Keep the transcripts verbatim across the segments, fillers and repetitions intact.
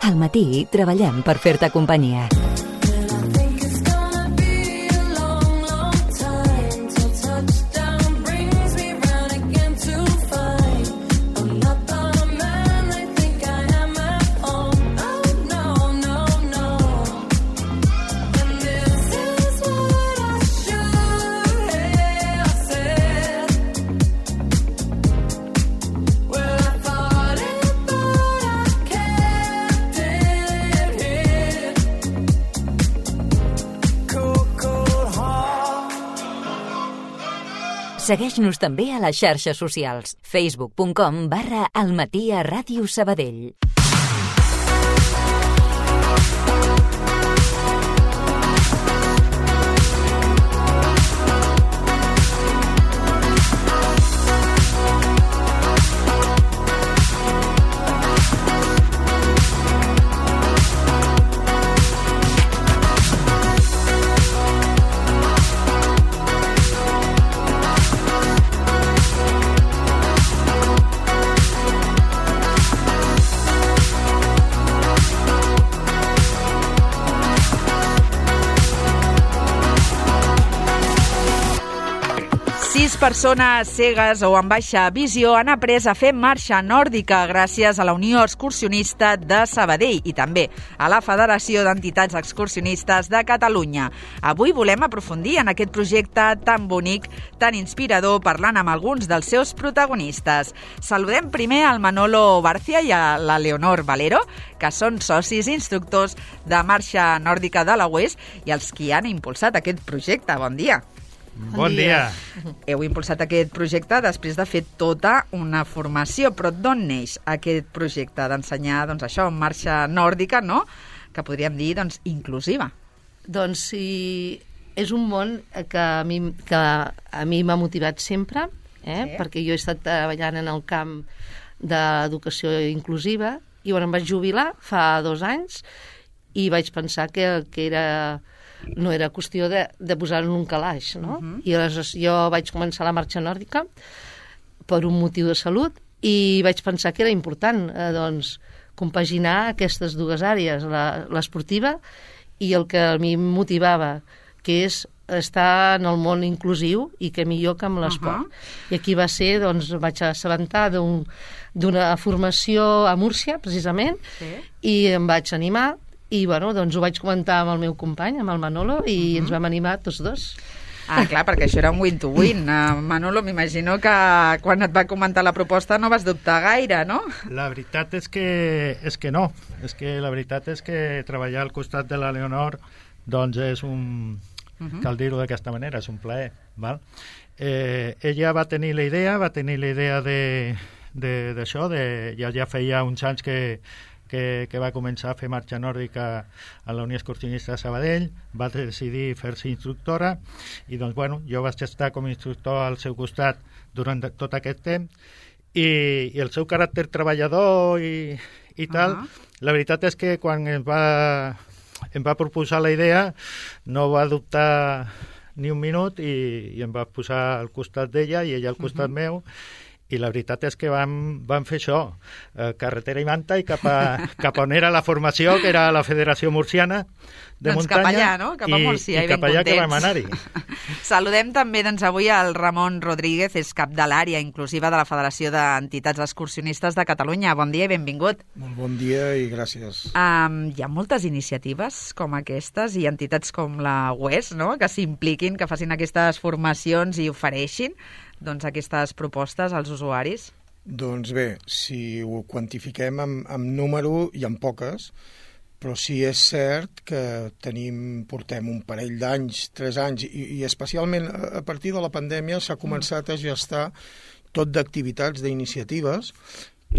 Al matí treballem per fer-te companyia. Segueix-nos també a les xarxes socials. facebook punt com barra Almatí a Ràdio Sabadell. Sis persones cegues o amb baixa visió han après a fer marxa nòrdica gràcies a la Unió Excursionista de Sabadell i també a la Federació d'Entitats Excursionistes de Catalunya. Avui volem aprofundir en aquest projecte tan bonic, tan inspirador, parlant amb alguns dels seus protagonistes. Saludem primer al Manolo Barcia i a la Leonor Valero, que són socis instructors de marxa nòrdica de la U E S i els qui han impulsat aquest projecte. Bon dia. Bon dia. Heu impulsat aquest projecte després de fer tota una formació, però d'on neix aquest projecte d'ensenyar, doncs això, marxa nòrdica, no?, que podríem dir, doncs, inclusiva? Doncs sí, és un món que a mi, que a mi m'ha motivat sempre, eh? Sí. Perquè jo he estat treballant en el camp d'educació inclusiva i bueno, em vaig jubilar fa dos anys i vaig pensar que, que era... no era qüestió de, de posar en un calaix, no? Uh-huh. I aleshores jo vaig començar la marxa nòrdica per un motiu de salut i vaig pensar que era important eh, doncs, compaginar aquestes dues àrees, la, l'esportiva i el que a mi em motivava, que és estar en el món inclusiu i que millor que amb l'esport. Uh-huh. I aquí va ser, doncs, vaig assabentar d'un, d'una formació a Múrcia, precisament, sí. I em vaig animar i bueno, doncs ho vaig comentar amb el meu company, amb el Manolo, i uh-huh. ens vam animar tots dos. Ah, clar, perquè això era un win-to-win. Uh, Manolo, m'imagino que quan et va comentar la proposta no vas dubtar gaire, no? La veritat és que, és que no. És que la veritat és que treballar al costat de la Leonor doncs és un... Uh-huh. Cal dir-ho d'aquesta manera, és un plaer. Val? Eh, ella va tenir la idea, va tenir la idea de, de, d'això, de, ja, ja feia uns anys que Que, que va començar a fer marxa nòrdica a la Unió Excursionista de Sabadell, va decidir fer-se instructora i doncs, bueno, jo vaig estar com a instructor al seu costat durant tot aquest temps i, i el seu caràcter treballador i, i tal, uh-huh. La veritat és que quan em va, em va proposar la idea no va dubtar ni un minut i, i em va posar al costat d'ella i ella al costat uh-huh. meu. I la veritat és que vam, vam fer això, eh, carretera i manta i cap a, cap on era la formació, que era la Federació Murciana de doncs Muntanya. Cap allà, no? Cap a Múrcia, i, i, i cap allà que vam anar-hi. Saludem també doncs, avui al Ramon Rodríguez, és cap de l'àrea inclusiva de la Federació d'Entitats Excursionistes de Catalunya. Bon dia i benvingut. Molt bon dia i gràcies. Um, hi ha moltes iniciatives com aquestes i entitats com la U E S, no?, que s'impliquin, que facin aquestes formacions i ofereixin doncs, aquestes propostes als usuaris? Doncs bé, si ho quantifiquem amb, amb número, hi ha poques, però sí és cert que tenim, portem un parell d'anys, tres anys, i, i especialment a partir de la pandèmia s'ha començat a gestar tot d'activitats, d'iniciatives,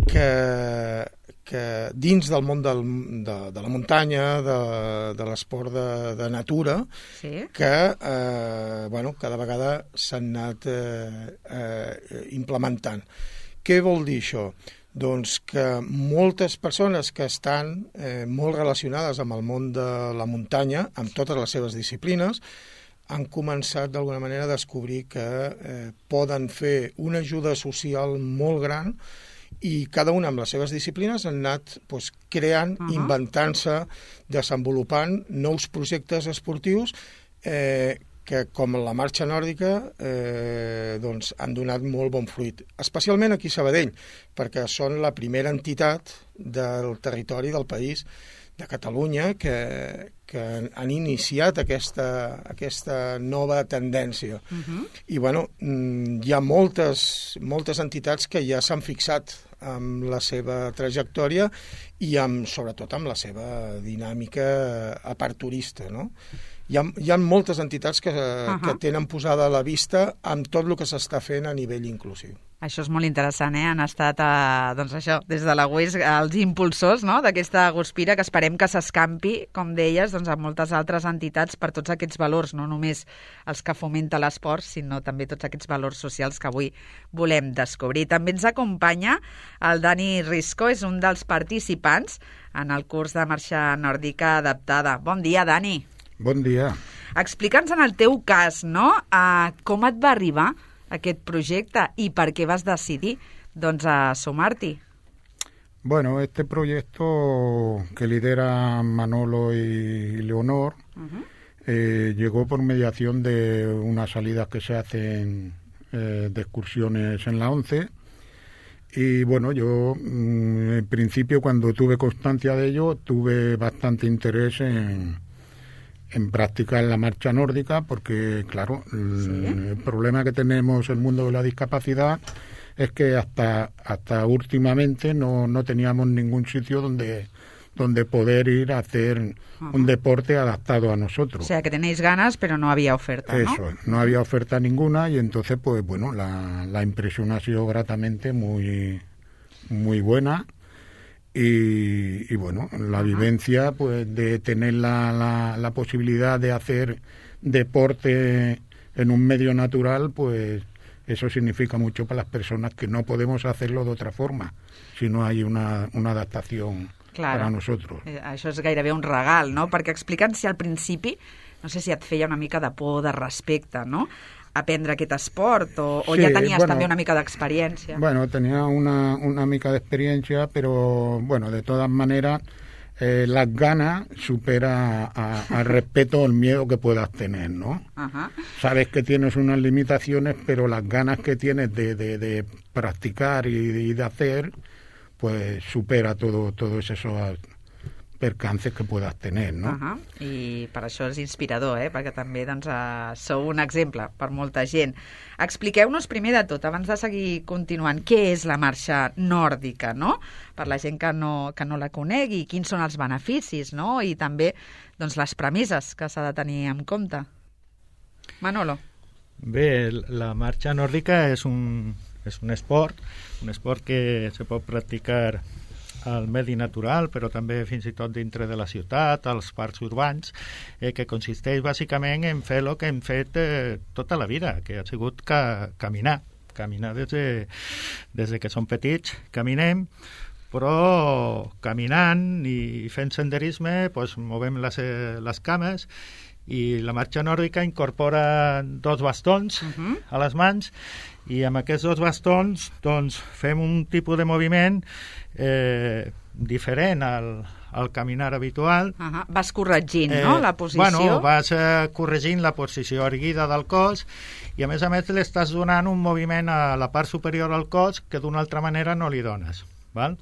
que, que dins del món del, de, de la muntanya, de, de l'esport de, de natura, sí. que eh, bueno, cada vegada s'han anat eh, eh, implementant. Què vol dir això? Doncs que moltes persones que estan eh, molt relacionades amb el món de la muntanya, amb totes les seves disciplines, han començat d'alguna manera a descobrir que eh, poden fer una ajuda social molt gran i cada una amb les seves disciplines han anat doncs, creant, uh -huh. inventant-se, desenvolupant nous projectes esportius eh, que, com la marxa nòrdica, eh, doncs, han donat molt bon fruit. Especialment aquí a Sabadell, perquè són la primera entitat del territori del país de Catalunya que, que han iniciat aquesta, aquesta nova tendència. Uh-huh. I, bueno, hi ha moltes, moltes entitats que ja s'han fixat amb la seva trajectòria i, amb, sobretot, amb la seva dinàmica aperturista, no? Hi ha, hi ha moltes entitats que, uh-huh. que tenen posada a la vista amb tot el que s'està fent a nivell inclusiu. Això és molt interessant, eh? Han estat, eh, doncs això, des de la U E S, els impulsors, no?, d'aquesta Guspira, que esperem que s'escampi, com deies, doncs, a moltes altres entitats per tots aquests valors, no només els que fomenta l'esport, sinó també tots aquests valors socials que avui volem descobrir. També ens acompanya el Dani Risco, és un dels participants en el curs de marxa nòrdica adaptada. Bon dia, Dani. Bon dia. Explica'ns en el teu cas, no?, uh, com et va arribar aquest projecte i per què vas decidir, doncs, a sumar-t'hi. Bueno, este proyecto que lidera Manolo y Leonor uh-huh. eh, llegó por mediación de unas salidas que se hacen eh, de excursiones en la ONCE. Y bueno, yo en principio, cuando tuve constancia de ello, tuve bastante interés en, en practicar la marcha nórdica, porque claro, el, ¿sí? el problema que tenemos el mundo de la discapacidad es que hasta hasta últimamente no, no teníamos ningún sitio donde donde poder ir a hacer uh-huh. un deporte adaptado a nosotros. O sea, que tenéis ganas, pero no había oferta, ¿no? Eso, no había oferta ninguna, y entonces, pues bueno, la, la impresión ha sido gratamente muy, muy buena. Y, y bueno, la uh-huh. vivencia, pues, de tener la, la, la posibilidad de hacer deporte en un medio natural, pues eso significa mucho para las personas que no podemos hacerlo de otra forma, si no hay una, una adaptación claro. para nosotros. Eh, això és gairebé un regal, no? Perquè explica'ns si al principi, no sé si et feia una mica de por, de respecte, no?, aprendre aquest esport, o, o sí, ja tenies bueno, també una mica d'experiència? Bueno, tenía una, una mica de experiencia, pero bueno, de todas maneras, eh, las ganas supera al respeto o el miedo que puedas tener, ¿no? Ajá. Sabes que tienes unas limitaciones, pero las ganas que tienes de, de, de practicar y de, y de hacer, pues supera todo, todos esos percances que puedas tener, no? Uh-huh. I per això és inspirador, eh? Perquè també, doncs, uh, sou un exemple per molta gent. Expliqueu-nos primer de tot, abans de seguir continuant, què és la marxa nòrdica, no?, per la gent que no, que no la conegui, quins són els beneficis, no?, i també, doncs, les premisses que s'ha de tenir en compte. Manolo. Bé, la marxa nòrdica és un, és un esport, un esport que se pot practicar al medi natural, però també fins i tot dintre de la ciutat, als parcs urbans, eh, que consisteix bàsicament en fer el que hem fet eh, tota la vida, que ha sigut ca caminar. Caminar des de, des de que som petits, caminem, però caminant i fent senderisme doncs, movem les, les cames, i la marxa nòrdica incorpora dos bastons uh-huh. a les mans, i amb aquests dos bastons doncs, fem un tipus de moviment eh, diferent al, al caminar habitual. Uh-huh. Vas corregint, eh, no?, la posició. Bueno, vas eh, corregint la posició erguida del cos, i a més a més l'estàs donant un moviment a la part superior del cos que d'una altra manera no li dones, val?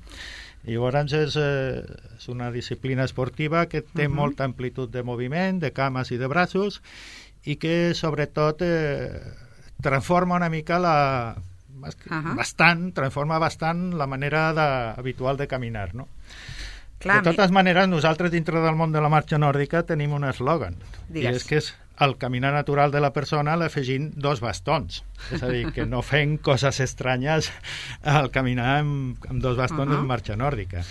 I llavors és, eh, és una disciplina esportiva que té uh-huh. molta amplitud de moviment, de cames i de braços, i que sobretot eh, transforma una mica la... Uh-huh. bastant, transforma bastant la manera de, habitual de caminar, no? Clar, de totes mi... maneres, nosaltres dintre del món de la marxa nòrdica tenim un eslògan, i és que és al caminar natural de la persona l'afegint dos bastons. És a dir, que no fem coses estranyes al caminar amb, amb dos bastons uh-huh. en marxa nòrdica.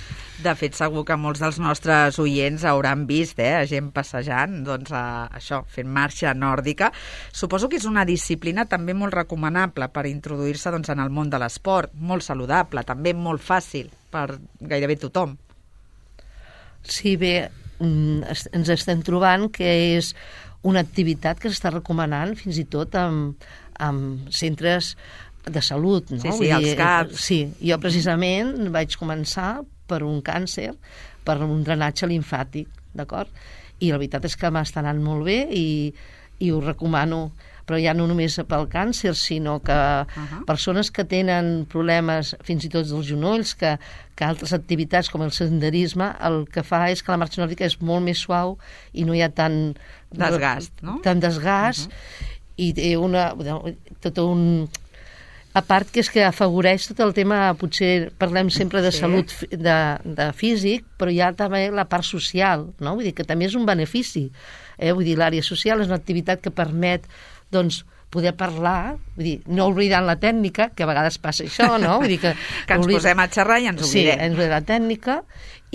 De fet, segur que molts dels nostres oients hauran vist eh, gent passejant, doncs, a, això, fent marxa nòrdica. Suposo que és una disciplina també molt recomanable per introduir-se doncs, en el món de l'esport, molt saludable, també molt fàcil per gairebé tothom. Sí, bé, ens estem trobant que és una activitat que s'està recomanant fins i tot amb, amb centres de salut, no? Sí, sí, Vull els dir, caps. Sí, jo precisament vaig començar per un càncer, per un drenatge limfàtic, d'acord? I la veritat és que m'està anant molt bé i, i ho recomano, però ja no només pel càncer, sinó que uh-huh. persones que tenen problemes fins i tot dels genolls, que, que altres activitats com el senderisme, el que fa és que la marxa nòrdica és molt més suau i no hi ha tant desgast, no? Tant desgast uh-huh. i té una, tot un... A part que és que afavoreix tot el tema, potser parlem sempre de sí. salut de, de físic, però hi ha també la part social, no? Vull dir que també és un benefici. Eh? Vull dir, l'àrea social és una activitat que permet, doncs, poder parlar, vull dir, no oblidant la tècnica, que a vegades passa això, no? Vull dir que, que ens oblid... posem a xerrar i ens oblidem. Sí, ens oblidem la tècnica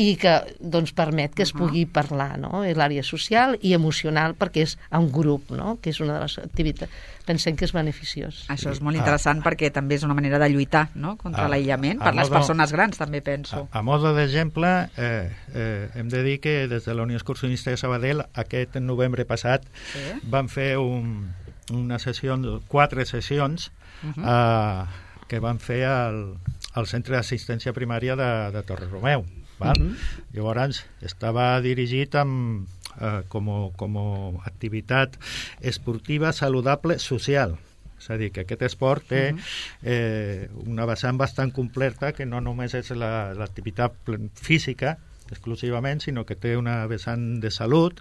i que, doncs, permet que es pugui uh-huh. parlar, no? És l'àrea social i emocional perquè és en grup, no? Que és una de les activitats, pensem que és beneficiós. Això és molt interessant ah. perquè també és una manera de lluitar, no? Contra ah, l'aïllament, per les modo, persones grans també penso. A, a modo d'exemple, eh, eh, hem de dir que des de la Unió Excursionista de Sabadell aquest novembre passat sí. van fer un, una sessió, quatre sessions uh-huh. eh, que van fer al, al Centre d'Assistència Primària de, de Torre-Romeu. Val? Uh-huh. Llavors estava dirigit amb, eh, com, com a activitat esportiva saludable social, és a dir, que aquest esport té uh-huh. eh, una vessant bastant completa, que no només és la, l'activitat física exclusivament, sinó que té una vessant de salut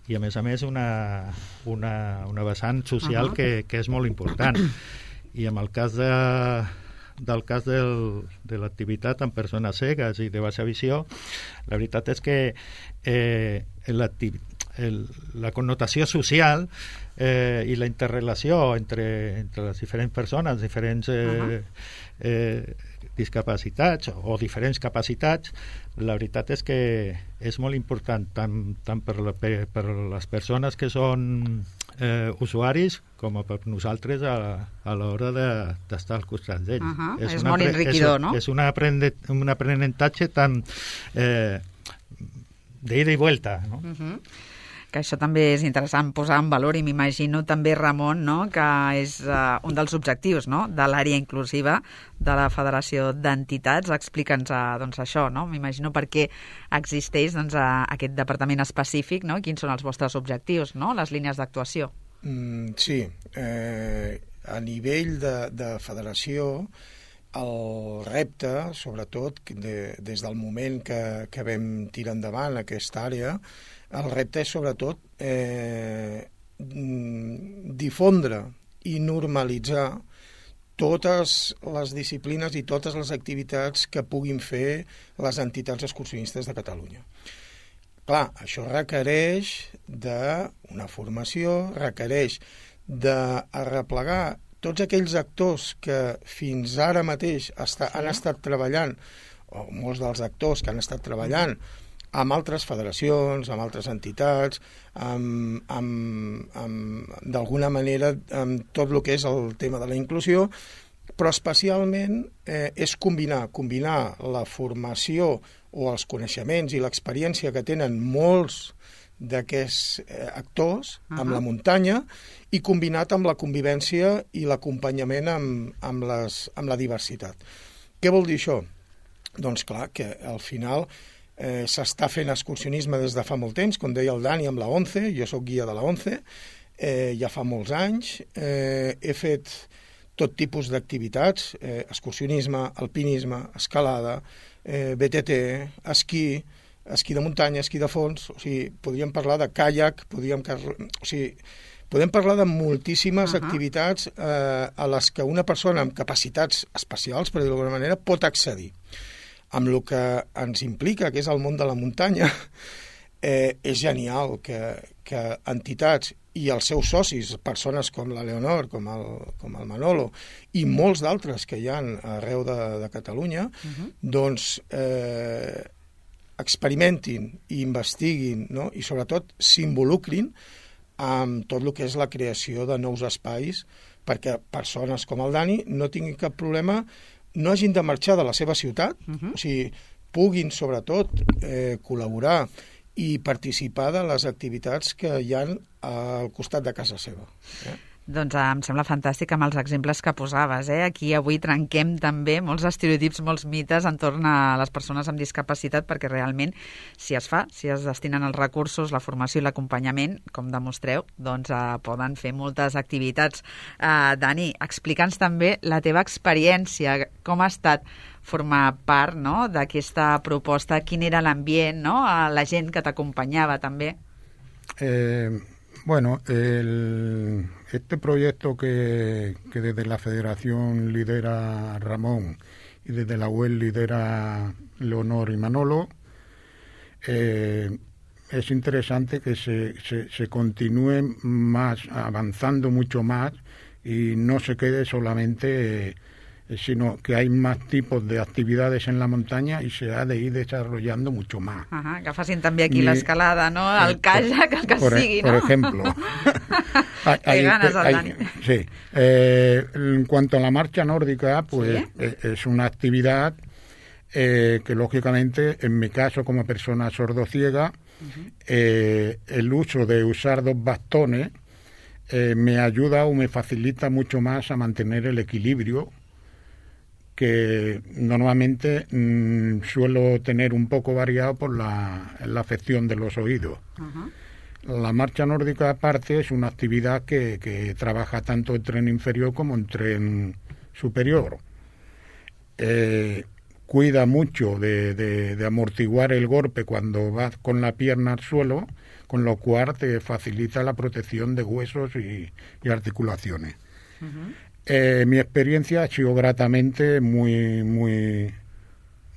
i a més a més una, una, una vessant social uh-huh. que, que és molt important. I en el cas de del cas del, de l'activitat amb persones cegues i de baixa visió, la veritat és que eh, el, la connotació social eh, i la interrelació entre, entre les diferents persones, diferents eh, uh-huh. eh, discapacitats o diferents capacitats, la veritat és que és molt important tant, tant per, la, per, per les persones que són eh, usuaris com per nosaltres a, a l'hora de, d'estar al costat d'ells. Uh-huh. És, és molt enriquidor, és, no? És un, aprende, un aprenentatge tan eh, d'ida i vuelta, no? Uh-huh. Que això també és interessant posar en valor i m'imagino també, Ramon, no? Que és uh, un dels objectius, no? De l'àrea inclusiva de la Federació d'Entitats. Explica'ns uh, doncs, això, no? M'imagino per què existeix doncs, uh, aquest departament específic, no? Quins són els vostres objectius, no? Les línies d'actuació. Mm, sí, eh, a nivell de, de federació el repte, sobretot de, des del moment que, que vam tirar endavant aquesta àrea, el repte és sobretot eh, difondre i normalitzar totes les disciplines i totes les activitats que puguin fer les entitats excursionistes de Catalunya. Clar, això requereix d'una formació, requereix d'arreplegar tots aquells actors que fins ara mateix està, han estat treballant, o molts dels actors que han estat treballant amb altres federacions, amb altres entitats, amb, amb, amb, d'alguna manera amb tot el que és el tema de la inclusió, però especialment eh, és combinar, combinar la formació o els coneixements i l'experiència que tenen molts d'aquests eh, actors uh-huh. amb la muntanya i combinat amb la convivència i l'acompanyament amb, amb, les, amb la diversitat. Què vol dir això? Doncs clar, que al final eh, s'està fent excursionisme des de fa molt temps, com deia el Dani amb la ONCE, jo sóc guia de la ONCE, eh, ja fa molts anys, eh, he fet tot tipus d'activitats, eh, excursionisme, alpinisme, escalada, eh, B T T, esquí, esquí de muntanya, esquí de fons, o sigui, podríem parlar de caiac, podríem, o sigui, podem parlar de moltíssimes uh-huh. activitats eh, a les que una persona amb capacitats especials, per dir-ho d'alguna manera, pot accedir. Amb el que ens implica, que és el món de la muntanya, eh, és genial que, que entitats i els seus socis, persones com la Leonor, com el, com el Manolo, i molts d'altres que hi ha arreu de, de Catalunya, uh-huh. doncs eh, experimentin i investiguin, no? I sobretot s'involucrin amb tot el que és la creació de nous espais perquè persones com el Dani no tinguin cap problema, no hagin de marxar de la seva ciutat, uh-huh. o sigui, puguin sobretot eh, col·laborar i participar de les activitats que hi ha al costat de casa seva. Eh? Doncs eh, em sembla fantàstic amb els exemples que posaves. Eh? Aquí avui trenquem també molts estereotips, molts mites entorn a les persones amb discapacitat, perquè realment si es fa, si es destinen els recursos, la formació i l'acompanyament, com demostreu, doncs eh, poden fer moltes activitats. Eh, Dani, explica'ns també la teva experiència, com ha estat formar part, no?, d'aquesta proposta, quin era l'ambient, no?, la gent que t'acompanyava també. Eh... Bueno, el, este proyecto que, que desde la Federación lidera Ramón y desde la U E L lidera Leonor y Manolo, eh, es interesante que se, se, se continúe más, avanzando mucho más y no se quede solamente... Eh, sino que hay más tipos de actividades en la montaña y se ha de ir desarrollando mucho más. Ajá, que facin també aquí l'escalada, no? El kayak, el que por, sigui, por ¿no? Por ejemplo. Qué ganas, al Dani. Sí. Eh, en cuanto a la marcha nórdica, pues ¿sí? es, es una actividad eh, que, lógicamente, en mi caso, como persona sordociega, uh-huh. eh, el uso de usar dos bastones eh, me ayuda o me facilita mucho más a mantener el equilibrio que normalmente mmm, suelo tener un poco variado por la, la afección de los oídos. Uh-huh. La marcha nórdica, aparte, es una actividad que, que trabaja tanto en tren inferior como en tren superior. Eh, cuida mucho de, de, de amortiguar el golpe cuando vas con la pierna al suelo, con lo cual te facilita la protección de huesos y, y articulaciones. Uh-huh. Eh, mi experiencia ha sido gratamente muy, muy,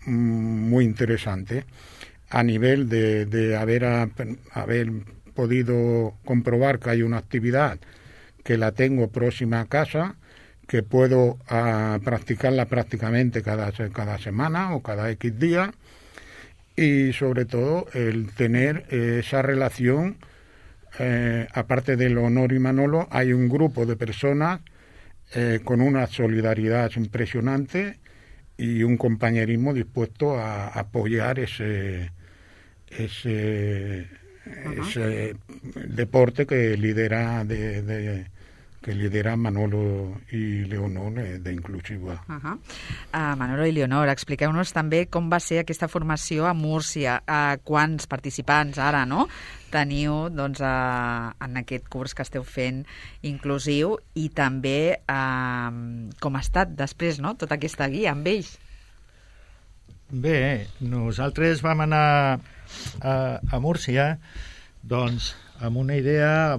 muy interesante a nivel de, de haber, a, haber podido comprobar que hay una actividad que la tengo próxima a casa, que puedo a, practicarla prácticamente cada, cada semana o cada X días, y sobre todo el tener eh, esa relación, eh, aparte de Leonor y Manolo, hay un grupo de personas Eh, con una solidaridad impresionante y un compañerismo dispuesto a, a apoyar ese ese, uh-huh. ese deporte que lidera de, de que lidera Manolo i Leonor de Inclusiva. Uh-huh. uh, Manolo i Leonor, expliqueu-nos també com va ser aquesta formació a Múrcia, uh, quants participants ara, no?, teniu doncs, uh, en aquest curs que esteu fent inclusiu, i també uh, com ha estat després, no?, tota aquesta guia amb ells. Bé, nosaltres vam anar a, a Múrcia doncs, amb una idea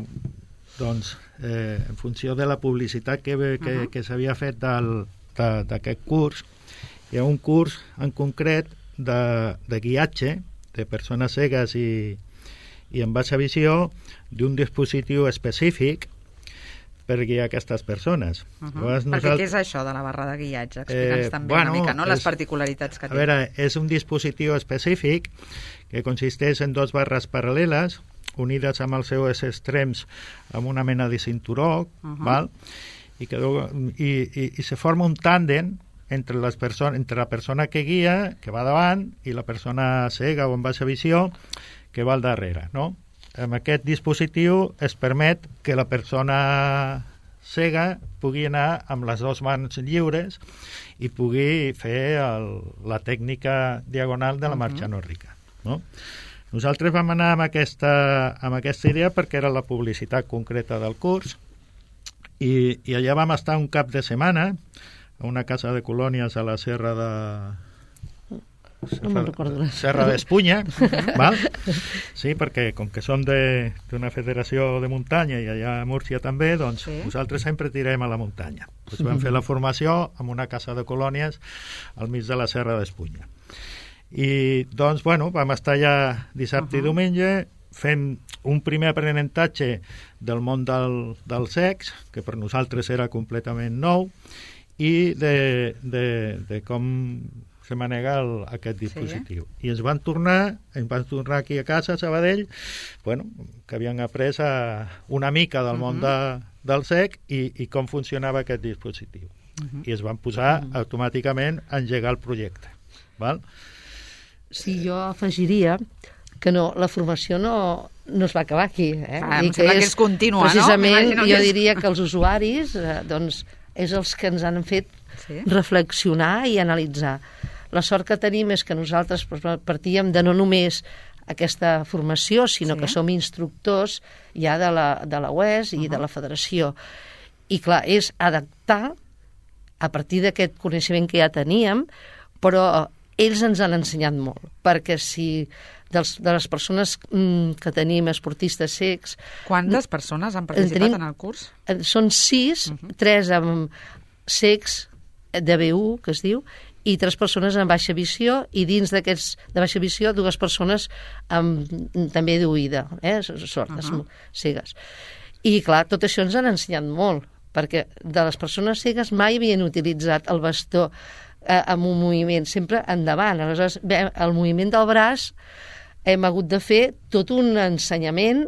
doncs, eh, en funció de la publicitat que, que, uh-huh. que s'havia fet del, de, d'aquest curs. Hi ha un curs en concret de, de guiatge de persones cegues i, i amb baixa visió d'un dispositiu específic per guiar aquestes persones. Uh-huh. Llavors, nosaltres... Perquè què és això de la barra de guiatge? Explica'ns eh, també bueno, una mica, no?, les és, particularitats que té. A veure, és un dispositiu específic que consisteix en dos barres paral·leles unides amb els seus extrems amb una mena de cinturó, uh-huh. val? I, que, i, i, i se forma un tàndem entre, les perso- entre la persona que guia, que va davant, i la persona cega o amb baixa visió, que va al darrere, no? Amb aquest dispositiu es permet que la persona cega pugui anar amb les dues mans lliures i pugui fer el, la tècnica diagonal de la marxa uh-huh. nòrdica, no? Nosaltres vam anar amb aquesta, amb aquesta idea perquè era la publicitat concreta del curs i, i allà vam estar un cap de setmana a una casa de colònies a la Serra de... No me'n recordo. Serra d'Espunya, val? Sí, perquè com que som de, d'una federació de muntanya i allà a Múrcia també, doncs sí. nosaltres sempre tirem a la muntanya. Doncs vam fer la formació en una casa de colònies al mig de la Serra d'Espunya. I doncs, bueno, vam estar allà dissabte uh-huh. i diumenge fent un primer aprenentatge del món del, del sex, que per nosaltres era completament nou, i de, de, de com se manega el, aquest dispositiu. Sí. I ens van tornar, ens van tornar aquí a casa, a Sabadell, bueno, que havien après a una mica del uh-huh. món de, del sec i, i com funcionava aquest dispositiu. Uh-huh. I es van posar uh-huh. automàticament a engegar el projecte. Val? Sí, jo afegiria que no, la formació no, no es va acabar aquí. Eh? Ah, em sembla que és contínua, no? Precisament, M'imagino jo que és- diria que els usuaris eh, doncs, és els que ens han fet Sí. reflexionar i analitzar. La sort que tenim és que nosaltres partíem de no només aquesta formació, sinó Sí. que som instructors ja de la, de la U E S i uh-huh. de la Federació. I clar, és adaptar a partir d'aquest coneixement que ja teníem, però ells ens han ensenyat molt, perquè si dels, de les persones mm, que tenim esportistes cecs... Quantes persones han participat tenim, en el curs? eh, Són sis, Uh-huh. tres amb cecs de B u, que es diu, i tres persones amb baixa visió, i dins d'aquests de baixa visió, dues persones amb, també d'oïda, eh, sordes, Uh-huh. cegues. I clar, tot això ens han ensenyat molt, perquè de les persones cegues mai havien utilitzat el bastó eh, amb un moviment, sempre endavant. Aleshores, bé, el moviment del braç hem hagut de fer tot un ensenyament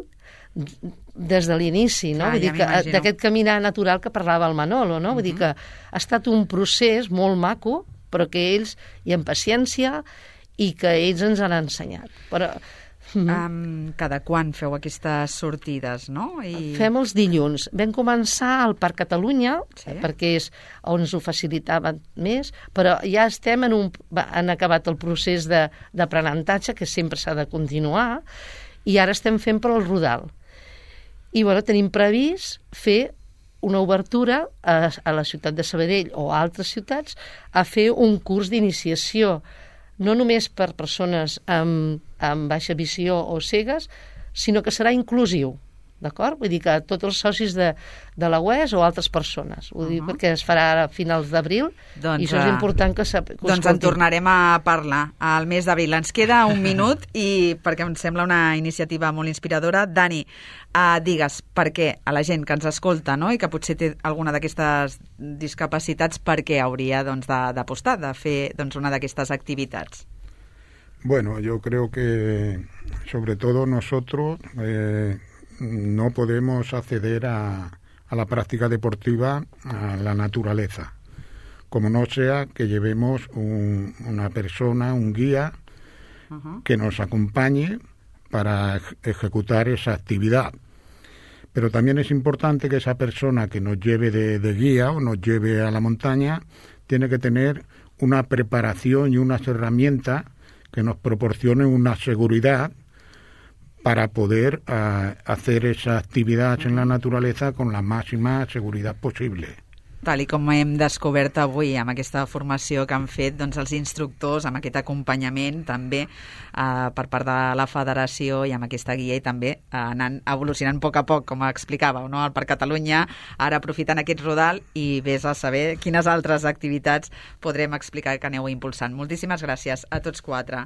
des de l'inici, no? Ah, Vull ja dir que m'imagino. d'aquest caminar natural que parlava el Manolo, no? Vull dir que ha estat un procés molt maco, però que ells hi han paciència i que ells ens han ensenyat. Però Um, cada quan feu aquestes sortides, no? I... fem els dilluns. Vam començar al Parc Catalunya, Sí. perquè és on ens ho facilitaven més, però ja estem en un... va- han acabat el procés de- d'aprenentatge, que sempre s'ha de continuar, i ara estem fent per al Rodal. I bueno, tenim previst fer una obertura a, a la ciutat de Sabadell o a altres ciutats a fer un curs d'iniciació, no només per persones amb, amb baixa visió o cegues, sinó que serà inclusiu, d'acord? Vull dir que tots els socis de, de la U E S o altres persones. Ho dic perquè es farà ara a finals d'abril, Doncs, i això és eh, important que, sap, que ho Doncs en escoltin. tornarem a parlar al mes d'abril. Ens queda un minut i perquè em sembla una iniciativa molt inspiradora. Dani, uh, digues per què a la gent que ens escolta, no?, i que potser té alguna d'aquestes discapacitats, per què hauria doncs, de- d'apostar, de, de fer doncs, una d'aquestes activitats. Bueno, yo creo que sobre todo nosotros eh, no podemos acceder a, a la práctica deportiva a la naturaleza, como no sea que llevemos un- una persona, un guía, Uh-huh. que nos acompañe para ej- ejecutar esa actividad. Pero también es importante que esa persona que nos lleve de, de guía o nos lleve a la montaña tiene que tener una preparación y unas herramientas que nos proporcionen una seguridad para poder uh, hacer esa actividad en la naturaleza con la máxima seguridad posible. Tal i com hem descobert avui amb aquesta formació que han fet doncs, els instructors, amb aquest acompanyament també eh, per part de la federació i amb aquesta guia i també eh, anant evolucionant a poc a poc, com explicàveu, no? Al Parc Catalunya, ara aprofitant aquest rodal i vés a saber quines altres activitats podrem explicar que aneu impulsant. Moltíssimes gràcies a tots quatre.